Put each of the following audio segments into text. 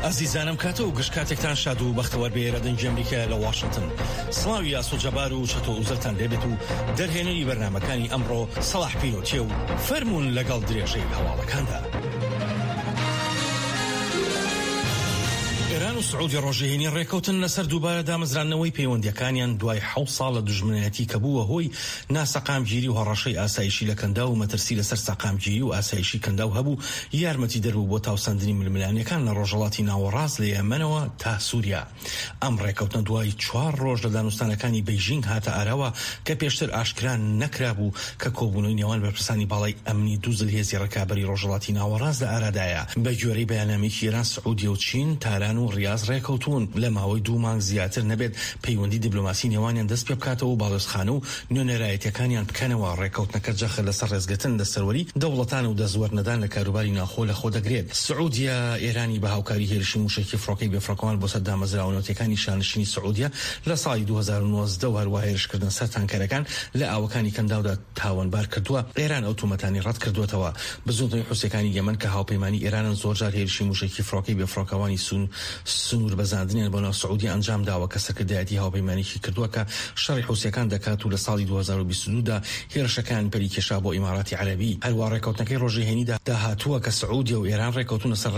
ئازیزانم کاتە و گشت کاتێکتان شاد و بەختەوەر بێ لە دەنگی ئەمریکا لە واشنتن سڵاوی ئاسۆ جەبار و چەتۆ ئوزەلتان لێبێت و دەرهێنەری بەرنامەکانی ئەمڕۆ سەڵاح پیرۆتیە و فەرموون لەگەڵ درێژەی هەواڵەکاندا. ئێران و سعودیە ڕۆژی هەینی ڕێکەوتن لەسەر دووبارە دامەزراندنەوەی پەیوەندییەکانیان دوای حەوت ساڵ لە دوژمنایەتی کە بووە هۆی ناسەقامگیری و هەڕەشەی ئاسایشی لە کەنداو و مەترسی لەسەر سەقامگیری و ئاسایشی کەنداو هەبوو یارمەتیدەر بوو بۆ تاوسەندنی ململانێکان لە ڕۆژهەڵاتی ناوەڕاست لە یەمەنەوە تا سوریا. ئەم ڕێکەوتنە دوای چوار ڕۆژ لە دانوستانەکانی بەیژینگ هاتە ئاراوە کە پێشتر ئاشکرا نەکرابوو کە کۆبوونەوەی نێوان بەرپرسانی باڵای ئەمنی دوو زلهێزی ڕکابەری ڕۆژهەڵاتی ناوەڕاست لە ئارادایە. بەگوێرەی بەیاننامەیەکی ئێران، سعودیە و چین، تاران و ڕیاز ڕێکەوتوون لە ماوەی دوو مانگ زیاتر نەبێت پەیوەندی دیبلۆماسی نێوانیان دەست پێبکاتەوە و باڵیۆزخانە و نوێنەرایەتیەکانیان بکەنەوە، ڕێکەوتنەکە جەخت لەسەر ڕێزگرتن لە سەروەری دەوڵەتان و دەستوەرنەدان لە کاروباری ناوخۆ لەخۆ دەگرێت. سعودیە ئێرانی بە هاوکاری هێرشی موشەکی فڕۆکەی بێفڕۆکەوان بۆ سەر دامەزراوە نەوتیەکانی شانشینی سعودیە لە ساڵی 2019 و هەروا هێرشکردنە سەر تانکەرەکان لە ئاوەکانی کەنداودا تاوانبار کردووە، ئێران ئەو تۆمەتانەی ڕەتکردووەتەوە. بزووتنەوەی حوسیەکانی یەمەن کە هاوپەیمانی ئێرانن زۆرجار هێرشی موشەکی فڕۆکەی بێفڕۆکەوانی سنووربەزاندنیان بۆ ناو سعودیە ئەنجامداوە کە سەرکردایەتی هاوپەیمانێکی کردووە کە شەڕی حوسیەکان دەکات و لە ساڵی 2022 دا هێرشەکان پەلی کێشا بۆ ئیماراتی عەرەبی. هەروا ڕێکەوتنەکەی ڕۆژی هەینیدا دا هاتووە کە سعودیە و ئێران ڕێکەوتوون لەسەر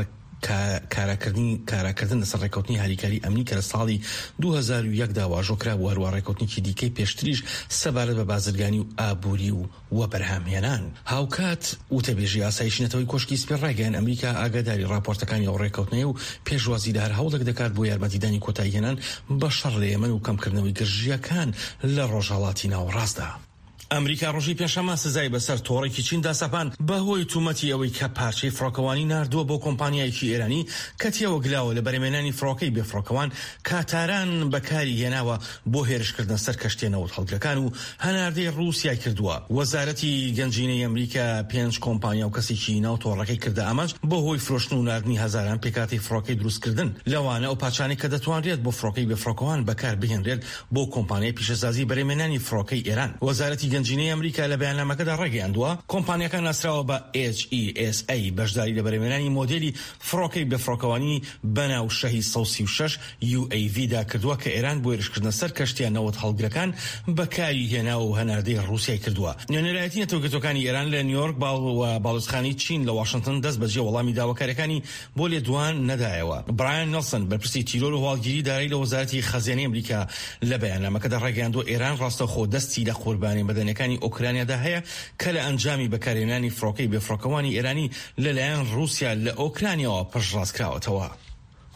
کاراکردنی کاراکردن لەسەر ڕێکەوتنی هاریکاری ئەمنی کە لە ساڵی 2001 دا واژۆ کرابوو، هەروا ڕێکەوتنێکی دیکەی پێشتریش سەبارەت بە بازرگانی و ئابووری و وەبەرهەمهێنان. هاوکات، وتەبێژی ئاسایشی نەتەوەی کۆشکی سپی ڕایگەیاند، ئەمریکا ئاگاداری ڕاپۆرتەکانی ئەو ڕێککەوتنەیە و پێشوازی لە هەر هەوڵێک دەکات بۆ یارمەتیدانی کۆتاییهێنان بە شەڕ لە یەمەن و کەمکردنەوەی گرژییەکان لە ڕۆژهەڵاتی ناوەڕاستدا. ئەمریکا ڕۆژی پێنجشەممە سزای بەسەر تۆڕێکی چیندا سەپاند بەهۆی تومەتی ئەوەی کە پارچەی فڕۆکەوانی ناردووە بۆ کۆمپانیایەکی ئێرانی کە تێوەگلاوە لە بەرهەمهێنانی فڕۆکەی بێفڕۆکەوان کە تاران بەکاری هێناوە بۆ هێرشکردنە سەر کەشتیە نەوتهەڵگرەکان و هەناردەی ڕووسیای کردووە. وەزارەتی گەنجینەی ئەمریکا پێنج کۆمپانیا و کەسێکی ناو تۆڕەکەی کردە ئامانج بەهۆی فرۆشتن و ناردنی هەزاران پێکهاتەی فڕۆکەی دروستکردن، لەوانە ئەو پارچانەی کە دەتوانرێت بۆ فڕۆکەی بێفڕۆکەوان بەکار بهێنرێت بۆ کۆمپانیای پیشەسازی بەرهەمهێنانی فڕۆکەی ئێران. وەزارەتی گەنجینەی ئەمریکا لە بەیاننامەکەدا ڕایگەیاندووە، کۆمپانیاکە ناسراوە بە HESA بەشداری لە بەرهەمهێنانی مۆدێلی فڕۆکەی بێفڕۆکەوانی بەناو شەهید 136 UAV دا کردووە کە ئێران بۆ هێرشکردنە سەر کەشتییە نەوت هەڵگرەکان بەکاری هێناوە و هەناردەی ڕووسیای کردووە. نوێنەرایەتی نەتەوەیەکگرتووەکانی ئێران لە نیویۆرک و باڵیۆزخانەی چین لە واشنتن دەست بەجێ وەڵامی داواکارییەکانی بۆ لێدوان نەدایەوە. برایان نێڵسن، بەرپرسی تیرۆر و هەواڵگیری دارایی لە وەزارەتی خەزێنەی ئەمریکا لە بەیاننامەکەدا ڕایگەیاندووە ئێران ڕاستەوخۆ دەستی لە قوربانیە مەدەنیەکانی ئۆکرانیادا هەیە کە لە ئەنجامی بەکارهێنانی فڕۆکەی بێفڕۆکەوانی ئێرانی لەلایەن ڕووسیا لە ئۆکرانیاوە پشتڕاستکراوەتەوە.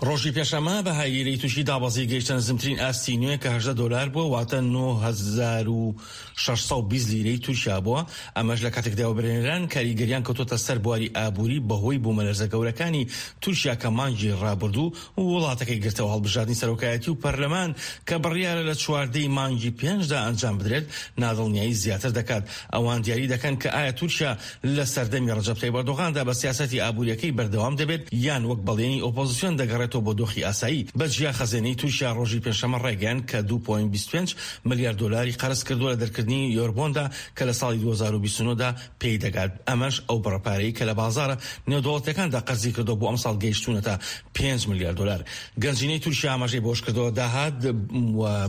ڕۆژی پێنجشەممە بەهای لیرەی تورکی دابەزی گەیشتە نزمترین ئاستی نوێ کە 18 دۆلار بووە واتە 9620 لیرەی تورکیا بووە ئەمەش لە کاتێکدا وەبەرهێنەران کاریگەریان کەوتۆتە سەر بواری ئابووری بەهۆی بوومەلەرزە گەورەکانی تورکیا کە مانگی ڕابردوو وڵاتەکەی گرتەوە هەڵبژاردنی سەرۆکایەتی و پەرلەمان کە بڕیارە لە چواردەی مانگی پێنجدا ئەنجام بدرێت نادڵنیایی زیاتر دەکات ئەوان دیاری دەکەن کە ئایا تورکیا لە سەردەمی ڕەجەب تەیب ئەردۆغاندا بە سیاسەتی ئابوورییەکەی بەردەوام دەبێت یان وەک بەڵێنی ئۆپۆزسیۆن دەگەڕێتەوە بۆ دۆخی ئاسایی. بە جیا خەزێنەی تورکیا ڕۆژی پێنجشەممە ڕایگەیاند کە دوو پۆینت 25 ملیار دۆلاری قەرز کردووە لە دەرکردنی یۆربۆندا کە لە ساڵی 2029 دا پێی دەگات، ئەمەش ئەو بڕە پارەی کە لە بازاڕە نێودەوڵەتییەکاندا قەرزی کردووە بۆ ئەمساڵ گەیشتوونەتە پێنج ملیار دۆلار. گەنجینەی تورکیا ئاماژەی بەوەشکردووە، داهات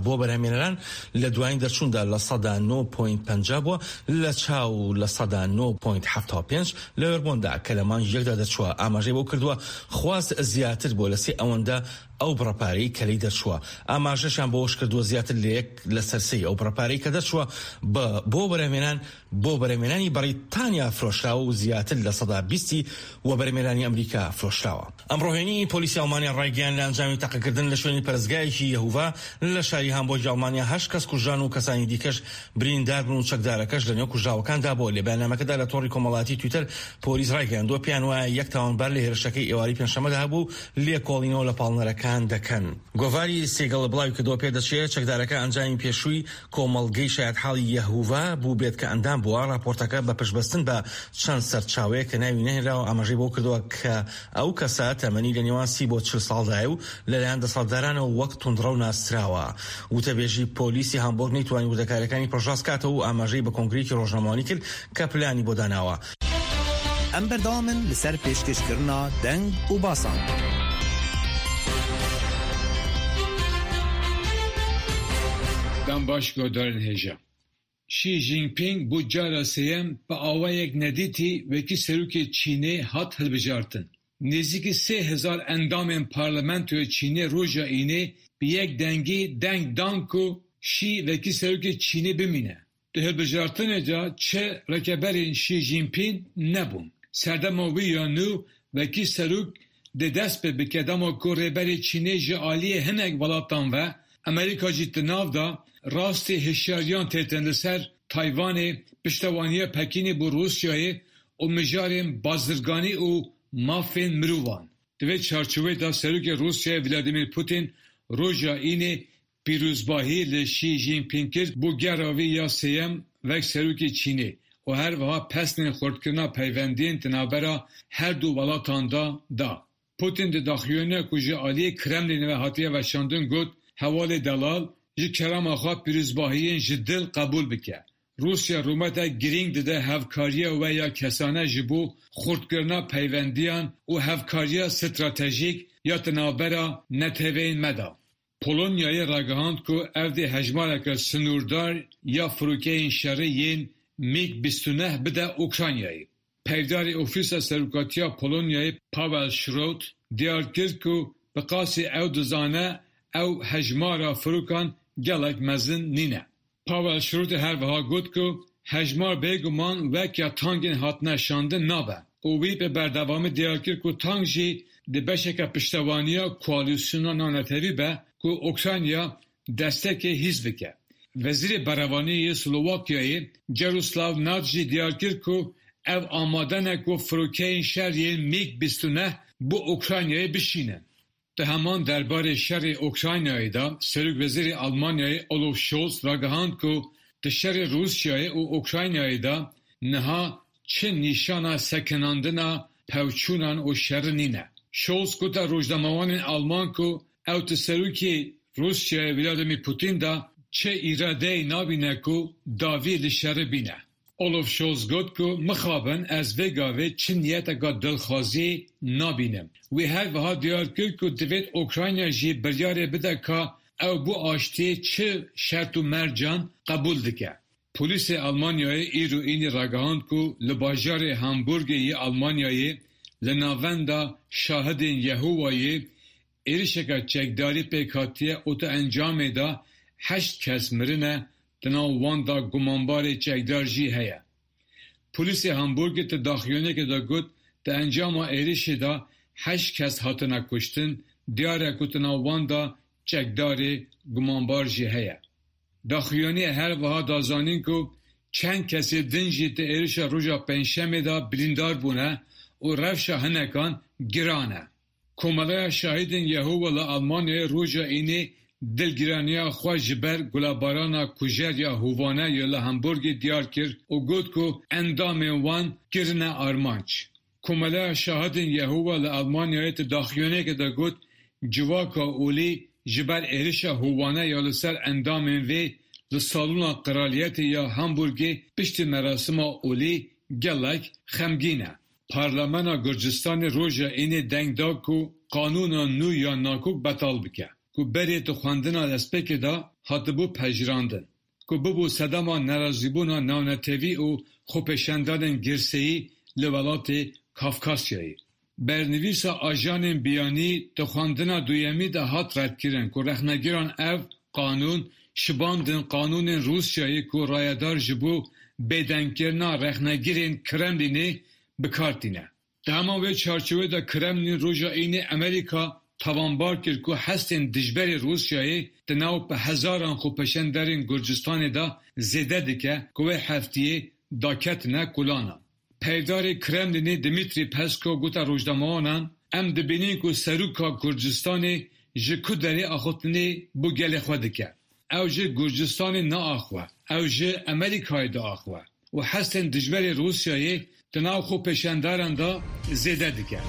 بۆ بەرهەمهێنەران لە دوایین دەرچووندا 9% پۆینت 50 بووە لە چاو 9% پۆینت 75 لە یۆربۆندا کە لە مانگی یەکدا دەرچووە، ئاماژەی بەوە کردووە، خواست زیاتر بووە لە سێ ئەوەندە ئەو بڕە پارەی کە لێی دەرچووە. ئاماژەشیان بەوەشکردووە، زیاتر لە یەک لەسەر سێی ئەو بڕە پارەی کە دەرچووە بۆ بەرهەمهێنان بۆ بەرهەمهێنانی بەڕیتانیا فرۆشراوە و زیاتر 20% ی وەبەرهێنانی ئەمریکا فرۆشراوە. ئەمڕۆ هەینی، پۆلیسی ئەڵمانیا ڕایگەیاند، لە ئەنجامی تەقەکردن لە شوێنی پەرستگایەکی یەهوڤا لە شاری هامبۆرگی ئەڵمانیا هەشت کەس کوژران و کەسانی دیکەش بریندار بوون و چەکدارەکەش لەنێو کوژراوەکاندا بووە. لە بەیاننامەکەدا لە تۆڕی کۆمەڵایەتی تویتەر پۆلیس ڕایگەیاندووە، پێیان وایە یەک تاوانبار لە هێرشەکەی ئێوارەی پێنجشەممەدا هەبووە و لێکۆڵینەوە لە پاڵنەرەکان دەکەن. گۆڤاری سیگڵ بڵاویکردەوە، پێدەچێت چەکدارەکە ئەنجامی پێشووی کۆمەڵگەی شایەتحاڵی یەهوڤا بووبێت کە ئەندام بووە، ڕاپۆرتەکە بە پشتبەستن بە چەند سەرچاوەیەک کە ناوی نەهێنراوە ئاماژەی بەوە کردووە کە ئەو کەسە تەمەنی لە نێوان 30 بۆ 40 ساڵدایە و لەلایەن دەسەڵاتدارانەوە وەک توندڕەو ناسراوە. وتەبێژی پۆلیسی هامبۆرگ نەیتوانی وردەکارییەکانی پشتڕاست کاتەوە و ئاماژەی بە کۆنگرەیەکی ڕۆژنامەوانی کرد کە پلانی بۆ داناوە. ئەم بەردەوامن لەسەر پێشکەشکردنا دەنگ و باسان. Dem baş guhdarên hêja. Xi Jinping bo cara sêyem bi awayek nedîtî wekî serokê Çînê hat hilbijartin. Nêzîkî 3000 endamên parlamentoya Çînê roja Înê bi yek dengî deng dan ku Xi wekî serokê Çînê bimîne. Di hilbijartinê de çi rikeberên Xi Jinping nebûn. Serdema wî ya nû wekî serok dê dest pê bike dema ku rêberê Çînê ji aliyê hinek welatan ve, Amerîka jî di nav de, rastî hişyariyan têtin li ser Tayvanê, piştewaniya Pekînê bo Rûsyayê û mijarên bazirganî û mafên mirovan. Di vê çarçoveyê de Serokê Rûsyayê Vladimir Putin roja Înê pîrozbahî li Xi Jinping kir bo gera wî ya sêyem wek Serokê Çînê û her wiha pesnên xurtkirina peywendiyên di navbera her du welatan de da. Putin di daxuyaniya ku ji aliyê Kremlînê ve hatiye weşandin got, Hevalê delal, ji kerema xwe pîrozbahiyên ji dil qebûl bike. Rûsya rûmetek girîng dide hevkariya we ya kesane ji bo xurtkirina peywendiyan û hevkariya stratejîk ya di navbera neteweyên me de. Polonyayê ragihand ku ev dê hejmareke sinûrdar ya firokeyên şerê yên MiG 29 bide Ukraynayê. Peyvdarê Ofîsa Serokatiya Polonyayê Paweł Szrot diyar kir ku bi qasî ew dizane ew hejmara firokan gelek mezin nîne. Paweł Szrotê her wiha got ku hejmar bêguman wek ya tankên hatine şandin nabe û wî bi berdewamî diyar kir ku tank jî di beşeke piştewaniya koalîsyona navnetewî be ku Ukrayna destekê hîs bike. Wezîrê Berevaniyê yê Slovakyayê Jaroslav Nad jî diyar kir ku ew amade ne ku firokeyên şer yên MiG 29 bo Ukraynayê bişînin. Di heman derbarê şerê Ukraynayê de Serokwezîrê Almanyayê Olaf Scholz ragihand ku di şerê Rûsyayê û Ukraynayê de niha çi nîşana sekinandina pevçûnan û şerê nîne. Scholz gote rojnamevanên Alman ku ew di serokê Rûsyayê Vladimir Putin de çi îradeyê nabîne ku dawî li şerê bîne. Olaf Scholz got ku mixabin ez vê gavê çi niyeteka dilxwazî nabînim. Wî her wiha diyar kir ku divêt Ukrayna jî biryarê bide ka ew bo aştiyê çi şert û mercan qebûl dike. Polîsê Almanyayê îro Înê ragihand ku li bajarê Hamburgê yê Almanyayê li navenda Şahidên Yehowayê êrişeke çekdarî pêk hatiye û di encamê de heşt kes mirine, di nav wan de gumanbarê çekdar jî heye. Polîsê Hamburgê di daxuyaniyekê de got di encama êrişê de heşt kes hatine kuştin, diyar e ku di nav wan de çekdarê gumanbar jî heye. Daxuyaniyê her wiha da zanîn ku çend kesê din jî di êrişa roja Pêncşemê de birîndar bûne û rewşa hinekan giran e. Komeleya Şahidên Yehowa li Almanyayê roja Înê dilgiraniya xwe ji ber gulebarana kujer ya hovane ya li Hamburgê diyar kir û got ku endamên wan kirine armanc. Komeleya Şahidên Yehowa li Almanyayê di daxuyaniyekê de got, Civaka olî ji ber êrişa hovane ya li ser endamên vê li Salona Qraliyetê ya Hamburgê piştî merasima olî gelek xemgîn e. Parlamena Gurcistanê roja Înê deng da ku qanûna nû ya nakok betal bike, ku berê di xwendina destpêkê de hatibû pejirandin, ku bibû sedema nerazîbûna navnetewî û xwepêşandanên girseyî li welatê Kafkasyayê. Bernivîsa ajanên biyanî di xwendina duyemî de hat redkirin ku rexnegiran ev qanûn şibandin qanûnên Rûsyayê ku rayedar ji bo bêdengkirina rexnegirên Kremlînê bi kar tîne. Di heman wê çarçoveyê de Kremlîn roja Înê Amerîka tawanbar kir ku hestên dijberê Rûsyayê di nav bi hezaran xwepêşanderên Gurcistanê de zêde dike ku wê heftiyê daketine kolanan. Peyvdarê Kremlînê Dmitriy Peskov gote rojnamevanan, Em dibînin ku Seroka Gurcistanê ji ku derê axiftinê bo gelê xwe dike. Ew ji Gurcistanê naaxiwe, ew ji Amerîkayê diaxiwe û hestên dijberê Rûsyayê di nav xwepêşandaran de zêde dike.